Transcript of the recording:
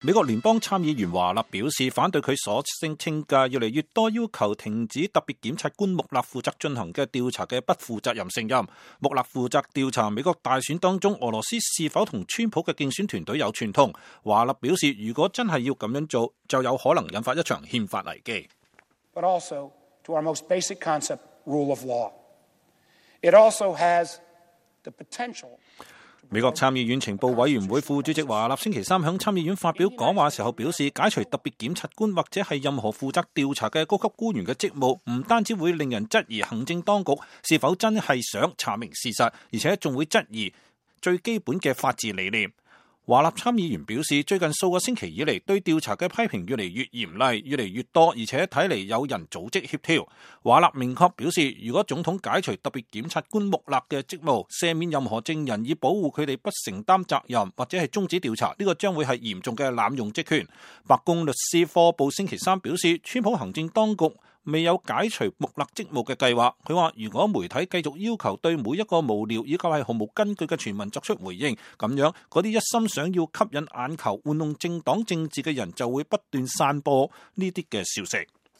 美國聯邦參議員華納表示反對佢所聲稱嘅越嚟越多要求停止特別檢察官穆勒負責進行嘅調查嘅不負責任聲音。穆勒負責調查美國大選當中俄羅斯是否同川普嘅競選團隊有串通。華納表示，如果真係要咁樣做，就有可能引發一場憲法危機。But also to our most basic concept, rule of law. It also has the potential. 美國參議院情報委員會副主席華納星期三響參議院發表講話時候表示，解除特別檢察官或者係任何負責調查嘅高級官員嘅職務，唔單止會令人質疑行政當局是否真係想查明事實，而且仲會質疑最基本嘅法治理念。華納參議員表示，最近數個星期以嚟，對調查嘅批評越嚟越嚴厲，越嚟越多，而且睇嚟有人組織協調。華納明確表示，如果總統解除特別檢察官穆勒嘅職務，赦免任何證人以保護佢哋不承擔責任，或者係終止調查，呢個將會係嚴重嘅濫用職權。白宮律師科布星期三表示，川普行政當局未有解除穆勒職務嘅計劃。佢話，如果媒體繼續要求對每一個無聊以及係毫無根據嘅傳聞作出回應，咁樣嗰啲一心想要吸引眼球、玩弄政黨政治嘅人就會不斷散播呢啲嘅消息。